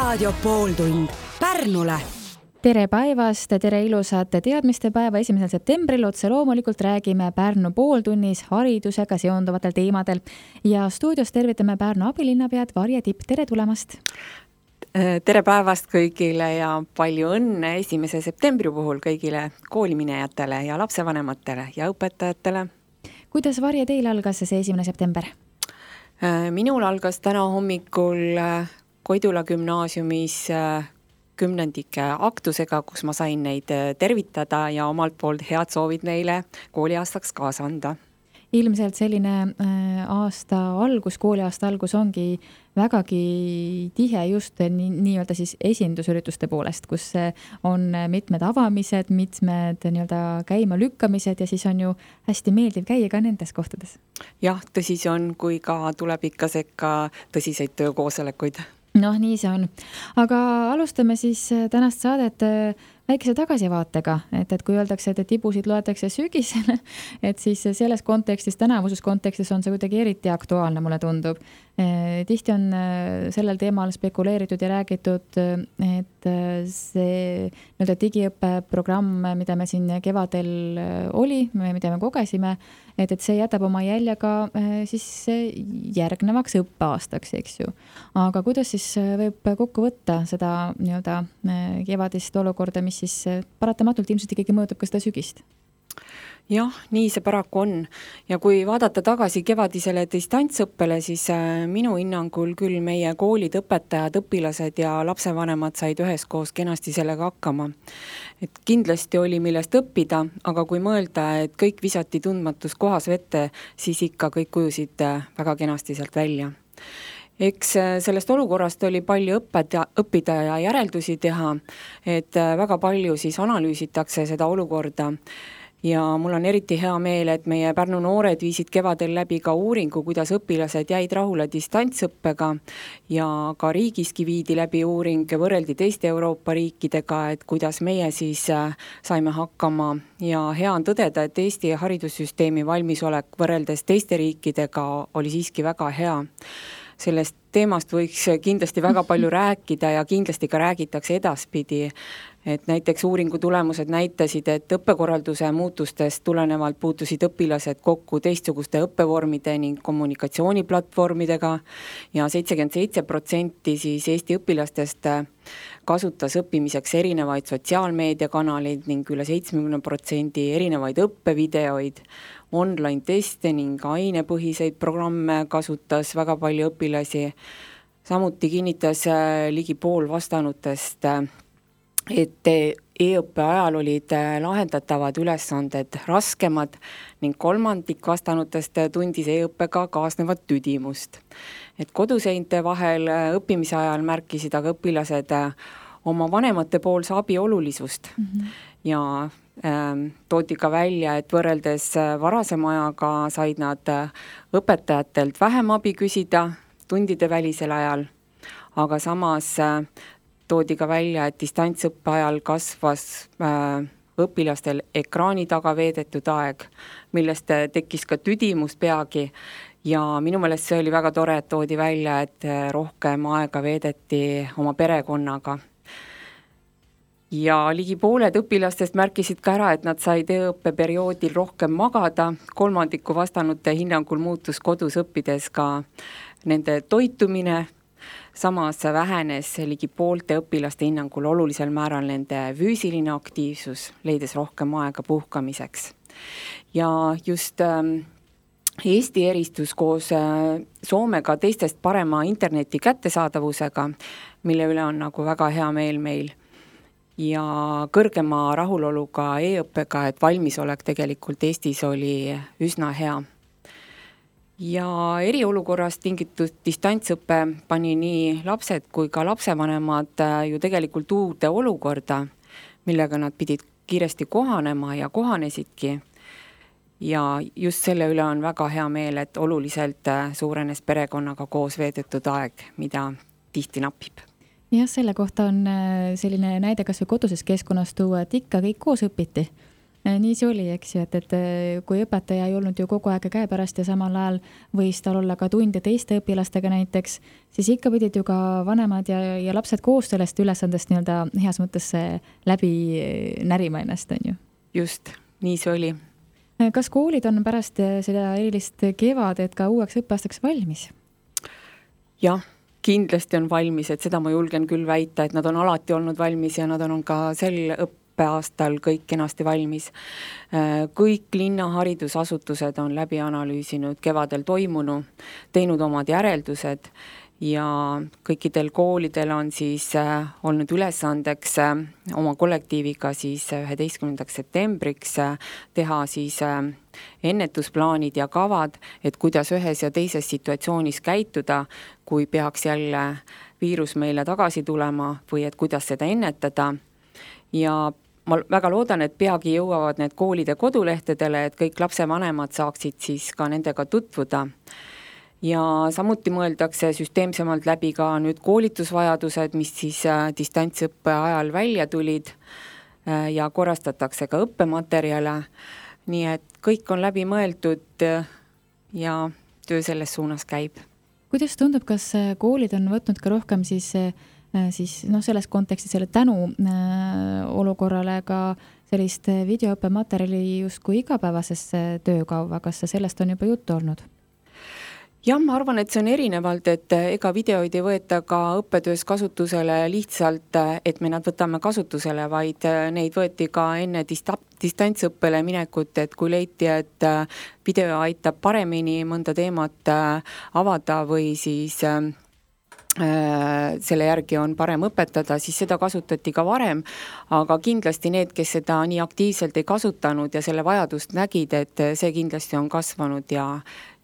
Raadio pooltund Pärnule. Tere päevast, tere ilusat teadmistepäeva 1. septembril. Otse loomulikult räägime Pärnu pooltunnis haridusega seonduvatel teemadel. Ja stuudios tervitame Pärnu abilinnapead Varje Tipp. Tere tulemast! Tere päevast kõigile ja palju õnne 1. septembri puhul kõigile kooliminejatele ja lapsevanematele ja õpetajatele. Kuidas Varje teil algas see 1. september? Minul algas täna hommikul Koidula gümnaasiumis 10. aktusega, kus ma sain neid tervitada ja omalt poolt head soovid neile kooliaastaks kaasa anda. Ilmselt selline kooliaasta algus ongi vägagi tihe just nii-öelda siis esindusürituste poolest, kus on mitmed avamised, mitmed nii-öelda käima lükkamised ja siis on ju hästi meeldiv käia ka nendes kohtades. Jah, tõsi see on, kui ka tuleb ikka sekka tõsiseid töökoosolekuid. Nii see on. Aga alustame siis tänast saadet väikese tagasivaatega, et kui öeldakse, et tibusid loetakse sügisel, et siis selles kontekstis, tänavuses kontekstis on see kuidagi eriti aktuaalne, mulle tundub. Tihti on sellel teemal spekuleeritud ja räägitud, et see digiõppeprogramm, mida me siin kevadel oli, mida me kogesime, et see jätab oma jälje ka siis järgnevaks õppeaastaks, eks ju. Aga kuidas siis võib kokku võtta seda nii-öelda kevadist olukorda, mis siis paratamatult ilmselt ikkagi mõjutab ka seda sügist? Jah, nii see paraku on. Ja kui vaadata tagasi kevadisele distantsõppele, siis minu hinnangul küll meie koolid, õpetajad, õpilased ja lapsevanemad said üheskoos kenasti sellega hakkama. Et kindlasti oli millest õppida, aga kui mõelda, et kõik visati tundmatus kohas vette, siis ikka kõik kujusid väga kenasti sealt välja. Eks sellest olukorrast oli palju õppida ja järeldusi teha, et väga palju siis analüüsitakse seda olukorda. Ja mul on eriti hea meel, et meie Pärnu noored viisid kevadel läbi ka uuringu, kuidas õpilased jäid rahule distantsõppega ja ka riigiski viidi läbi uuring, võrreldi teiste Euroopa riikidega, et kuidas meie siis saime hakkama ja hea on tõdeda, et Eesti haridussüsteemi valmisolek võrreldes teiste riikidega oli siiski väga hea. Sellest teemast võiks kindlasti väga palju rääkida ja kindlasti ka räägitakse edaspidi, et näiteks uuringu tulemused näitasid, et õppekorralduse muutustest tulenevalt puutusid õpilased kokku teistsuguste õppevormide ning kommunikatsiooniplatvormidega ja 77% siis Eesti õpilastest kasutas õppimiseks erinevaid sotsiaalmeediakanaleid ning üle 70% erinevaid õppevideoid, online-teste ning ainepõhiseid programme kasutas väga palju õpilasi. Samuti kinnitas ligi pool vastanutest, et e-õppe ajal olid lahendatavad ülesanded raskemad ning 1/3 vastanutest tundis e-õppega kaasnevat tüdimust. Et koduseinte vahel õppimise ajal märkisid aga õpilased oma vanemate poolse abi olulisust ja toodi ka välja, et võrreldes varasema ajaga said nad õpetajatelt vähem abi küsida tundide välisel ajal, aga samas toodi ka välja, et distantsõppe ajal kasvas õpilastel ekraani taga veedetud aeg, millest tekkis ka tüdimust peagi ja minu meelest see oli väga tore, et toodi välja, et rohkem aega veedeti oma perekonnaga. Ja ligi pooled õpilastest märkisid ka ära, et nad said e-õppe perioodil rohkem magada, 1/3 vastanute hinnangul muutus kodus õppides ka nende toitumine, samas vähenes ligi poolte õpilaste hinnangul olulisel määral nende füüsiline aktiivsus, leides rohkem aega puhkamiseks. Ja just Eesti eristus koos Soomega teistest parema interneti kättesaadavusega, mille üle on nagu väga hea meel meil. Ja kõrgema rahuloluga e-õppega, et valmisolek tegelikult Eestis oli üsna hea. Ja eriolukorrast tingitud distantsõppe pani nii lapsed kui ka lapsevanemad ju tegelikult uude olukorda, millega nad pidid kiiresti kohanema ja kohanesidki. Ja just selle üle on väga hea meel, et oluliselt suurenes perekonnaga koos veedetud aeg, mida tihti napib. Jah, selle kohta on selline näide kas või koduses keskkonnas tuua, et ikka kõik koos õpiti. Nii see oli, eks ju, et kui õpetaja ei olnud ju kogu aeg käepärast ja samal ajal võis tal olla ka tunde teiste õpilastega näiteks, siis ikka pidid ju ka vanemad ja lapsed koos sellest ülesandest nii-öelda heas mõttes läbi närima ennast, on ju? Just, nii see oli. Kas koolid on pärast seda erilist kevadet ka uueks õppeaastaks valmis? Jah, kindlasti on valmis, et seda ma julgen küll väita, et nad on alati olnud valmis ja nad on ka sel õppeaastal kõik kenasti valmis. Kõik linna haridusasutused on läbi analüüsinud kevadel toimunu, teinud omad järeldused ja kõikidel koolidel on siis olnud ülesandeks oma kollektiiviga siis 11. septembriks teha siis ennetusplaanid ja kavad, et kuidas ühes ja teises situatsioonis käituda, kui peaks jälle viirus meile tagasi tulema või et kuidas seda ennetada. Ja ma väga loodan, et peagi jõuavad need koolide kodulehtedele, et kõik lapsevanemad saaksid siis ka nendega tutvuda. Ja samuti mõeldakse süsteemsemalt läbi ka nüüd koolitusvajadused, mis siis distantsõppe ajal välja tulid ja korrastatakse ka õppematerjale. Nii et kõik on läbi mõeldud ja töö selles suunas käib. Kuidas tundub, kas koolid on võtnud ka rohkem siis selles kontekstis selle tänu olukorrale ka sellist videoõppematerjali justkui igapäevasesse töökauva, kas sellest on juba juttu olnud? Jah, ma arvan, et see on erinevalt, et ega videoid ei võeta ka õppetöös kasutusele lihtsalt, et me nad võtame kasutusele, vaid neid võeti ka enne distantsõppele minekut, et kui leiti, et video aitab paremini mõnda teemat avada või siis selle järgi on parem õpetada, siis seda kasutati ka varem, aga kindlasti need, kes seda nii aktiivselt ei kasutanud ja selle vajadust nägid, et see kindlasti on kasvanud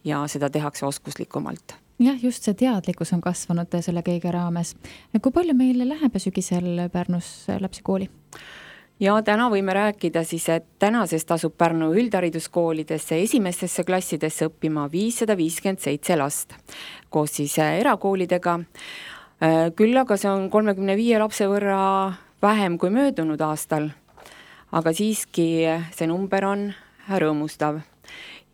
ja seda tehakse oskuslikumalt. Jah, just see teadlikkus on kasvanud selle kõige raames. Kui palju meil läheb sügisel Pärnus lapsi kooli? Ja täna võime rääkida siis, et tänasest asub Pärnu üldhariduskoolidesse esimestesse klassidesse õppima 557 last koos siis erakoolidega. Küll aga see on 35 lapse võrra vähem kui möödunud aastal, aga siiski see number on rõõmustav.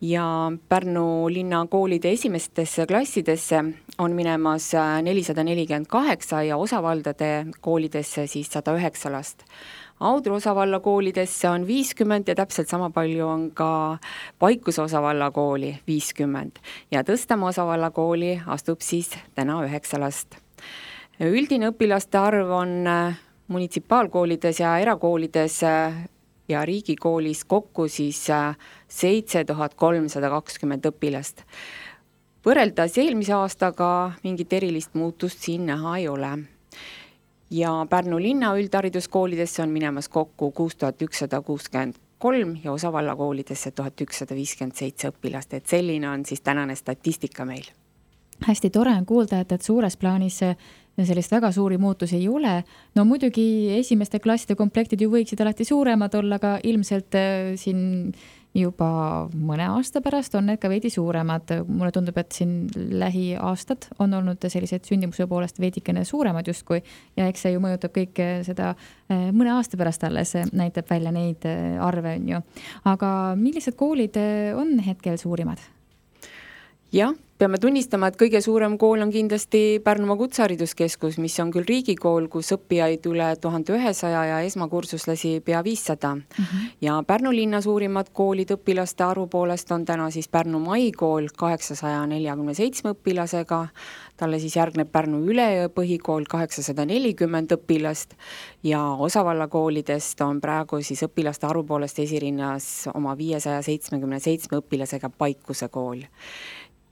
Ja Pärnu linna koolide esimestesse klassidesse on minemas 448 ja osavaldade koolidesse siis 109 last. Audru osavalla koolidesse on 50 ja täpselt sama palju on ka Paikuse osavalla kooli 50 ja Tõstamaa osavalla kooli astub siis täna 9 last. Üldine õpilaste arv on munitsipaalkoolides ja erakoolides ja riigikoolis kokku siis 7320 õpilast. Võrreldes eelmise aastaga mingit erilist muutust siin näha ei ole. Ja Pärnu linna üldhariduskoolidesse on minemas kokku 6163 ja osavalla koolidesse 1157 õpilast, et selline on siis tänane statistika meil. Hästi tore on kuulda, et suures plaanis sellist väga suuri muutusi ei ole. No muidugi esimeste klasside komplektid ju võiksid alati suuremad olla, aga ilmselt siin juba mõne aasta pärast on need ka veidi suuremad. Mulle tundub, et siin lähiaastad on olnud sellised sündimuse poolest veidikene suuremad justkui ja eks see ju mõjutab kõik seda mõne aasta pärast alles näitab välja neid arve on ju. Aga millised koolid on hetkel suurimad? Jah, peame tunnistama, et kõige suurem kool on kindlasti Pärnumaa Kutsehariduskeskus, mis on küll riigikool, kus õppijaid üle 1100 ja esmakursuslasi pea 500. Ja Pärnu linna suurimad koolid õpilaste arvu poolest on täna siis Pärnu Maikool 847 õpilasega, talle siis järgneb Pärnu Üleöö põhikool 840 õpilast ja osavalla koolidest on praegu siis õpilaste arvu poolest esirinnas oma 577 õpilasega Paikuse kool.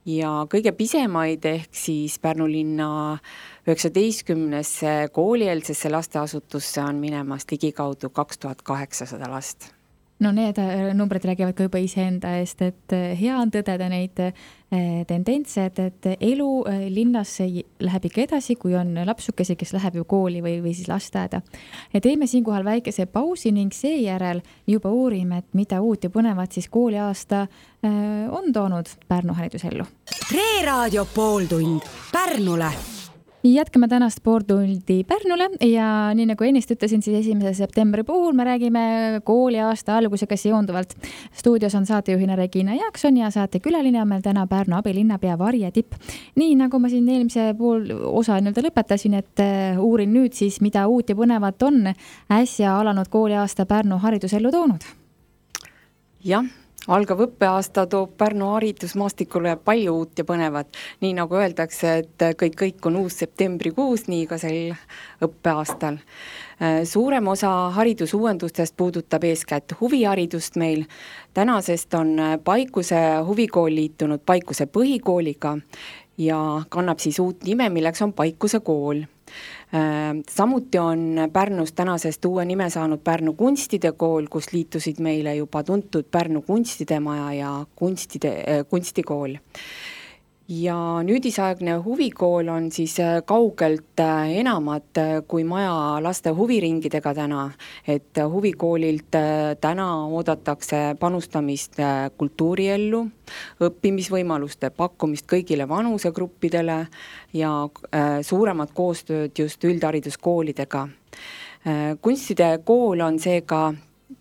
Ja kõige pisemaid ehk siis Pärnu linna 19 koolieelsesse lasteasutusse on minemas ligikaudu 2800 last. No need numbrid räägivad ka juba iseenda eest, et hea on tõdeda neid tendentse, et elu linnas läheb ikka edasi, kui on lapsukesi, kes läheb ju kooli või siis lasteaeda. Ja teeme siinkohal väikese pausi ning seejärel juba uurime, et mida uut ja põnevat siis kooliaasta on toonud Pärnu haridusellu. Reeraadio pooltund Pärnule. Jätkame tänast Sporttundi Pärnule ja nii nagu ennist ütlesin, siis 1. septembri puhul me räägime kooliaasta algusega seonduvalt. Stuudios on saatejuhina Regina Jaakson ja saatekülaline on meil täna Pärnu abilinnapea Varje Tipp. Nii nagu ma siin eelmise pool osa lõpetasin, et uurin nüüd siis, mida uut ja põnevat on äsja alanud kooliaasta Pärnu haridusellu toonud. Jah. Algav õppeaasta toob Pärnu haridusmaastikule palju uut ja põnevat. Nii nagu öeldakse, et kõik on uus septembrikuus, nii ka sel õppeaastal. Suurem osa haridusuuendustest puudutab eeskätt huviharidust meil. Tänasest on Paikuse huvikool liitunud Paikuse põhikooliga ja kannab siis uut nime, milleks on Paikuse kool. Samuti on Pärnus tänasest uue nime saanud Pärnu kunstide kool, kus liitusid meile juba tuntud Pärnu kunstidemaja ja kunstikool. Ja nüüdisaegne huvikool on siis kaugelt enamat kui maja laste huviringidega täna, et huvikoolilt täna oodatakse panustamist kultuuriellu, õppimisvõimaluste pakkumist kõigile vanusegruppidele ja suuremat koostööd just üldhariduskoolidega. Kunstide kool on seega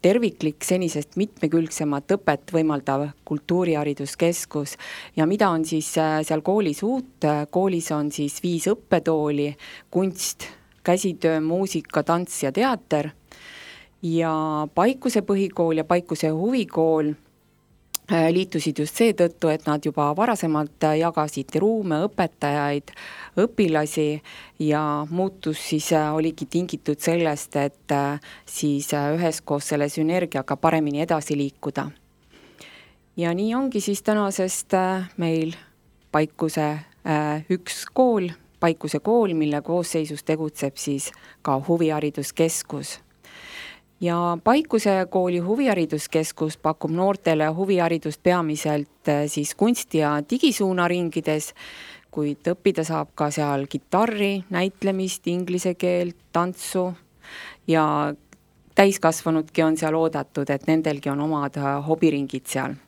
terviklik senisest mitmekülgsemat õpet võimaldav kultuurihariduskeskus ja mida on siis seal koolis uut? Koolis on siis 5 õppetooli, kunst, käsitöö, muusika, tants ja teater ja Paikuse põhikool ja Paikuse huvikool liitusid just seetõttu, et nad juba varasemalt jagasid ruume, õpetajaid, õpilasi ja muutus siis oligi tingitud sellest, et siis üheskoos selle sünergiaga paremini edasi liikuda. Ja nii ongi siis tänasest meil Paikuse üks kool, Paikuse kool, mille koosseisus tegutseb siis ka huvihariduskeskus. Ja Paikuse kooli huvihariduskeskus pakub noortele huviharidust peamiselt siis kunsti- ja digisuunaringides, kuid õppida saab ka seal kitarri, näitlemist, inglise keelt, tantsu ja täiskasvanudki on seal oodatud, et nendelgi on omad hobiringid seal.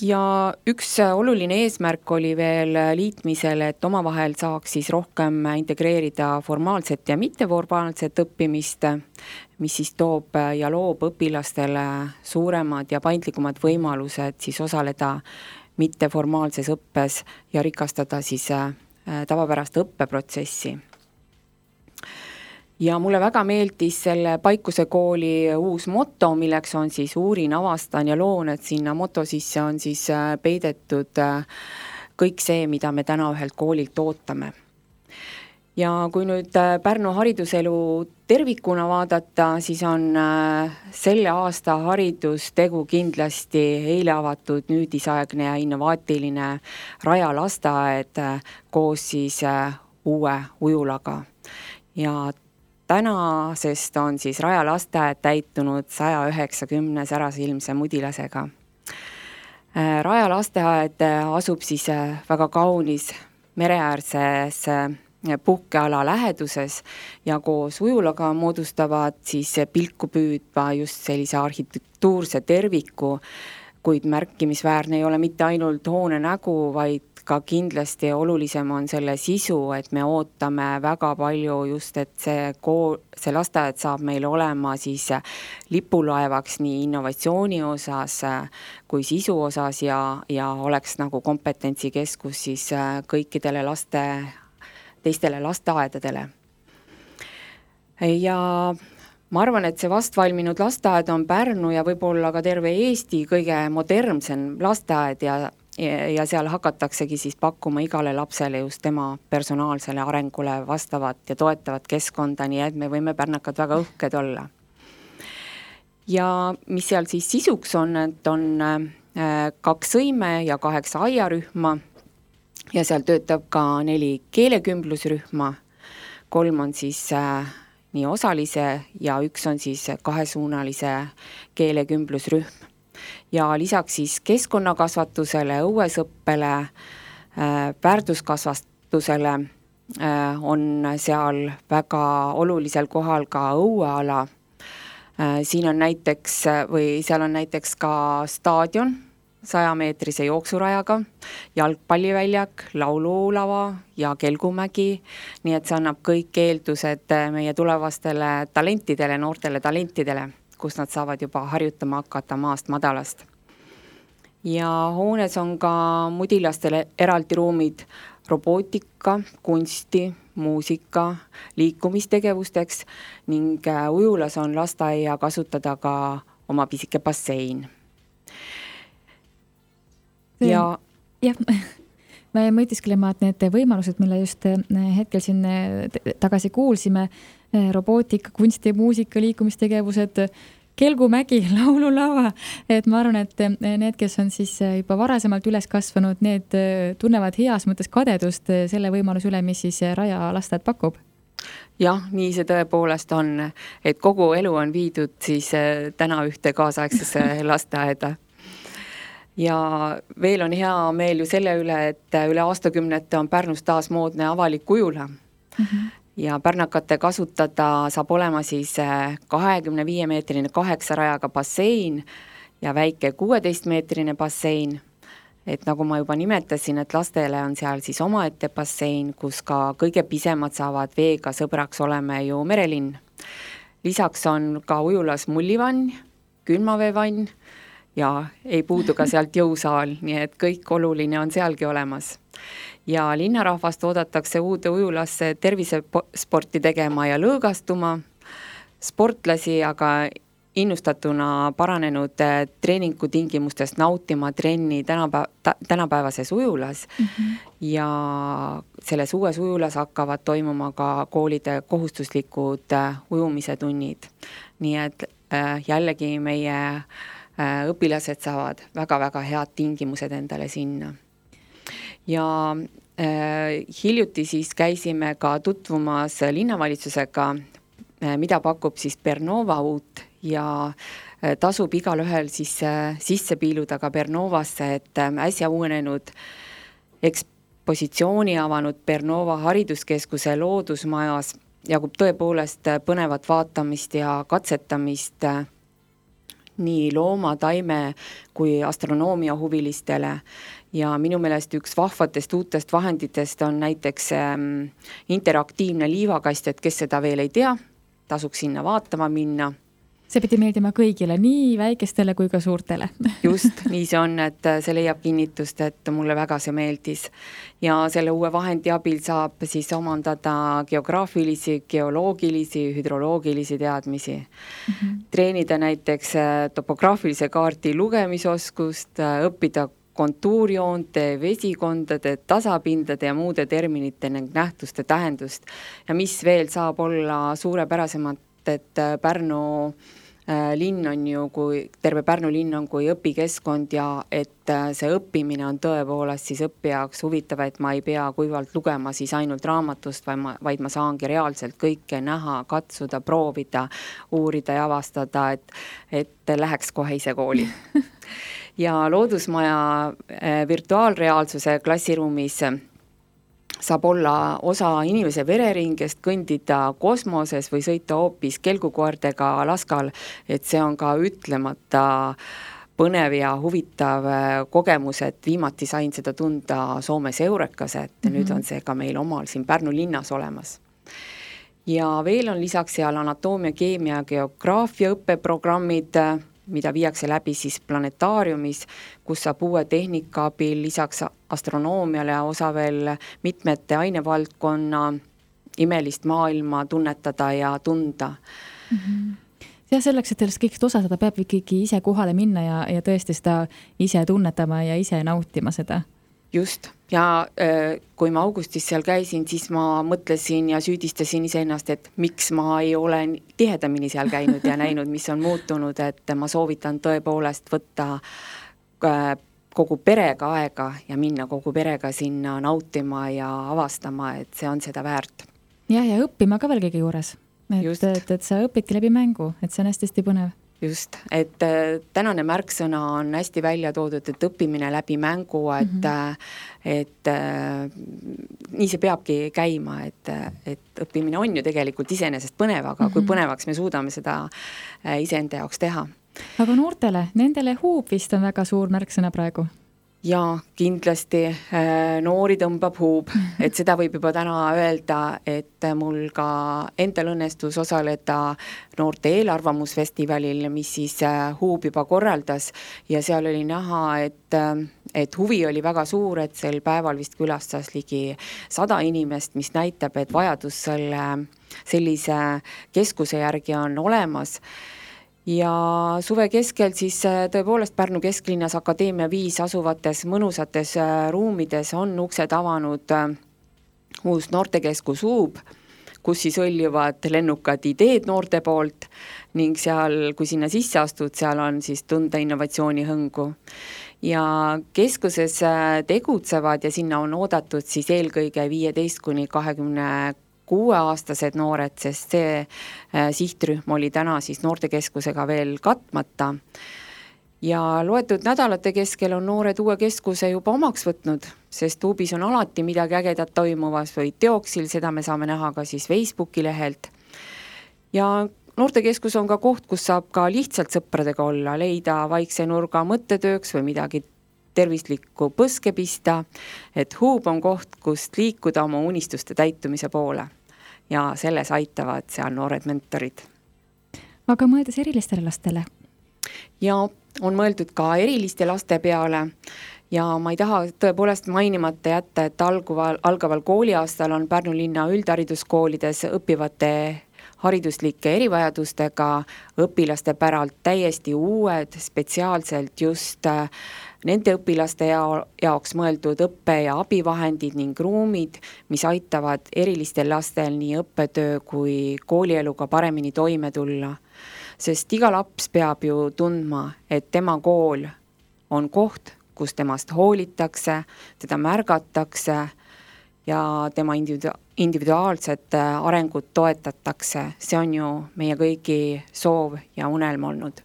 Ja üks oluline eesmärk oli veel liitmisel, et omavahel saaks siis rohkem integreerida formaalset ja mitteformaalset õppimist, mis siis toob ja loob õpilastele suuremad ja paindlikumad võimalused siis osaleda mitteformaalses õppes ja rikastada siis tavapärast õppeprotsessi. Ja mulle väga meeldis selle Paikuse kooli uus moto, milleks on siis uurin, avastan ja loon, et sinna moto sisse on siis peidetud kõik see, mida me täna ühelt koolilt ootame. Ja kui nüüd Pärnu hariduselu tervikuna vaadata, siis on selle aasta haridustegu kindlasti eile avatud nüüdisaegne ja innovaatiline Raja lasteaed koos siis uue ujulaga. Ja tänasest on siis Raja lasteaed täitunud 190 särasilmse mudilasega. Raja lasteaed asub siis väga kaunis mereäärses puhkeala läheduses ja koos ujulaga moodustavad siis pilku püüdva just sellise arhitektuurse terviku, kuid märkimisväärne ei ole mitte ainult hoone nägu, vaid ka kindlasti olulisem on selle sisu, et me ootame väga palju just, et see lasteaed saab meil olema siis lipulaevaks nii innovatsiooni osas kui sisu osas ja oleks nagu kompetentsikeskus siis kõikidele teistele lasteaedadele. Ja ma arvan, et see vastvalminud lasteaed on Pärnu ja võib-olla ka terve Eesti kõige modernsem lasteaed ja seal hakataksegi siis pakkuma igale lapsele just tema personaalsele arengule vastavat ja toetavat keskkonda, nii et me võime pärnakad väga uhked olla. Ja mis seal siis sisuks on, et on 2 sõime ja 8 aiarühma ja seal töötab ka 4 keelekümblusrühma, 3 on siis nii osalise ja 1 on siis 2-suunalise keelekümblusrühm. Ja lisaks siis keskkonnakasvatusele, õuesõppele, väärtuskasvatusele on seal väga olulisel kohal ka õueala. Seal on näiteks ka staadion, 100-meetrise jooksurajaga, jalgpalliväljak, laululava ja Kelgumägi, nii et see annab kõik eeldused meie tulevastele talentidele, noortele talentidele, kus nad saavad juba harjutama hakata maast madalast. Ja hoones on ka mudilastele eraldi ruumid robootika, kunsti, muusika, liikumistegevusteks ning ujulas on lasteaia kasutada ka oma pisike bassein. Ja me mõtisklema, et need võimalused, mille just hetkel siin tagasi kuulsime, robootika, kunsti, muusika, liikumistegevused, Kelgumägi, laululava, et ma arvan, et need, kes on siis juba varasemalt üles kasvanud, need tunnevad heas mõttes kadedust selle võimaluse üle, mis siis Raja lasteaed pakub. Jah, nii see tõepoolest on, et kogu elu on viidud siis täna ühte kaasaegsesse lasteaeda. Ja veel on hea meel ju selle üle, et üle aastakümnete on Pärnus taas moodne avalik ujula. Ja pärnakate kasutada saab olema siis 25-meetrine 8 rajaga bassein ja väike 16-meetrine bassein. Et nagu ma juba nimetasin, et lastele on seal siis omaette bassein, kus ka kõige pisemad saavad veega sõbraks olema ju merelinn. Lisaks on ka ujulas mullivann, külmaveevann ja ei puudu ka sealt jõusaal, nii et kõik oluline on sealgi olemas. Ja linnarahvast oodatakse uude ujulasse tervisesporti tegema ja lõõgastuma. Sportlasi aga innustatuna paranenud treeningutingimustest nautima trenni tänapäevases ujulas. Ja selles uues ujulas hakkavad toimuma ka koolide kohustuslikud ujumise tunnid. Nii et jällegi meie õpilased saavad väga-väga head tingimused endale sinna. Ja hiljuti siis käisime ka tutvumas linnavalitsusega, mida pakub siis Bernova uut ja tasub igal ühel siis sisse piiluda ka Bernovasse, et äsja uuenenud ekspositsiooni avanud Bernova hariduskeskuse loodusmajas jagub tõepoolest põnevat vaatamist ja katsetamist nii looma, taime kui astronoomia huvilistele. Ja minu meelest üks vahvatest uutest vahenditest on näiteks interaktiivne liivakast, et kes seda veel ei tea, tasuks sinna vaatama minna. See pidi meeldima kõigile, nii väikestele kui ka suurtele. Just, nii see on, et see leiab kinnitust, et mulle väga see meeldis. Ja selle uue vahendi abil saab siis omandada geograafilisi, geoloogilisi, hüdroloogilisi teadmisi. Treenida näiteks topograafilise kaarti lugemisoskust, õppida kontuurjoonte, vesikondade, tasapindade ja muude terminite ning nähtuste tähendust. Ja mis veel saab olla suurepärasemalt, et Pärnu linn on ju, terve Pärnu linn on kui õpikeskkond ja et see õppimine on tõepoolest siis õppijaks huvitav, et ma ei pea kuivalt lugema siis ainult raamatust, vaid ma saangi reaalselt kõike näha, katsuda, proovida, uurida ja avastada, et läheks kohe ise kooli. Ja loodusmaja virtuaalreaalsuse klassiruumis saab olla osa inimese vereringest, kõndida kosmoses või sõita hoopis kelgukoertega laskal, et see on ka ütlemata põnev ja huvitav kogemus, et viimati sain seda tunda Soomes Eurekas, et nüüd on see ka meil omal siin Pärnu linnas olemas. Ja veel on lisaks seal anatoomia, keemia ja geograafia õppeprogrammid, mida viiakse läbi siis planetaariumis, kus saab uue tehnika abil lisaks astronoomiale osa veel mitmete ainevaldkonna imelist maailma tunnetada ja tunda. Ja selleks, et sellest kõigest osa saada, peab ikkagi ise kohale minna ja tõesti seda ise tunnetama ja ise nautima seda. Just, ja kui ma augustis seal käisin, siis ma mõtlesin ja süüdistasin iseennast, et miks ma ei ole tihedamini seal käinud ja näinud, mis on muutunud, et ma soovitan tõepoolest võtta kogu perega aega ja minna kogu perega sinna nautima ja avastama, et see on seda väärt. Ja õppima ka veel kõige juures, et sa õpidki läbi mängu, et see on hästi põnev. Just, et tänane märksõna on hästi välja toodud, et õppimine läbi mängu, et nii see peabki käima, et õppimine on ju tegelikult iseenesest põnev, aga kui põnevaks me suudame seda iseenda jaoks teha. Aga noortele, nendele huub vist on väga suur märksõna praegu. Ja kindlasti noori tõmbab huub, et seda võib juba täna öelda, et mul ka endal õnnestus osaleda noorte eelarvamusfestivalil, mis siis huub juba korraldas ja seal oli näha, et huvi oli väga suur, et sel päeval vist külastas ligi 100 inimest, mis näitab, et vajadus sellise keskuse järgi on olemas. Ja suve keskel siis tõepoolest Pärnu kesklinnas Akadeemia 5 asuvates mõnusates ruumides on uksed avanud uus noortekeskus Huub, kus siis õljuvad lennukad ideed noorte poolt ning seal, kui sinna sisse astud, seal on siis tunda innovatsiooni hõngu. Ja keskuses tegutsevad ja sinna on oodatud siis eelkõige 15–26 aastased noored, sest see sihtrühm oli täna siis noortekeskusega veel katmata. Ja loetud nädalate keskel on noored uue keskuse juba omaks võtnud, sest Huubis on alati midagi ägedat toimuvas või teoksil, seda me saame näha ka siis Facebooki lehelt. Ja noortekeskus on ka koht, kus saab ka lihtsalt sõpradega olla, leida vaikse nurga mõttetööks või midagi tervislikku põske pista, et Huub on koht, kust liikuda oma unistuste täitumise poole. Ja selles aitavad seal noored mentorid. Aga mõeldes erilistele lastele? Ja on mõeldud ka eriliste laste peale ja ma ei taha tõepoolest mainimata jätta, et algaval kooliaastal on Pärnu linna üldhariduskoolides õppivate hariduslike erivajadustega õpilaste päralt täiesti uued, spetsiaalselt just nende õpilaste jaoks mõeldud õppe- ja abivahendid ning ruumid, mis aitavad erilistel lastel nii õppetöö kui koolieluga paremini toime tulla. Sest iga laps peab ju tundma, et tema kool on koht, kus temast hoolitakse, teda märgatakse ja tema individuaalset arengut toetatakse. See on ju meie kõigi soov ja unelm olnud.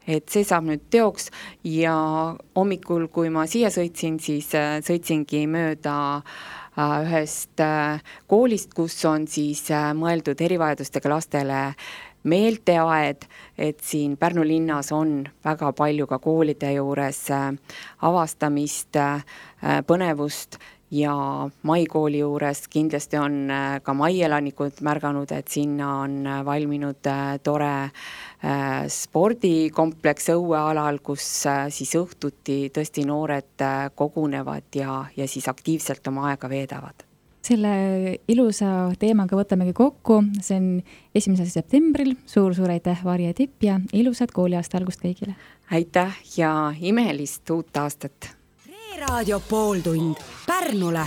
Et see saab nüüd teoks ja hommikul, kui ma siia sõitsin, siis sõitsingi mööda ühest koolist, kus on siis mõeldud erivajadustega lastele meelteaed, et siin Pärnu linnas on väga palju ka koolide juures avastamist, põnevust ja maikooli juures kindlasti on ka maielanikud märganud, et sinna on valminud tore spordikompleks õuealal, kus siis õhtuti tõesti noored kogunevad ja siis aktiivselt oma aega veedavad. Selle ilusa teemaga võtamegi kokku, see on 1. septembril, suur aitäh, Varje Tipp ja ilusat kooliaasta algust kõigile! Aitäh ja imelist uut aastat! Raadio pooltund Pärnule.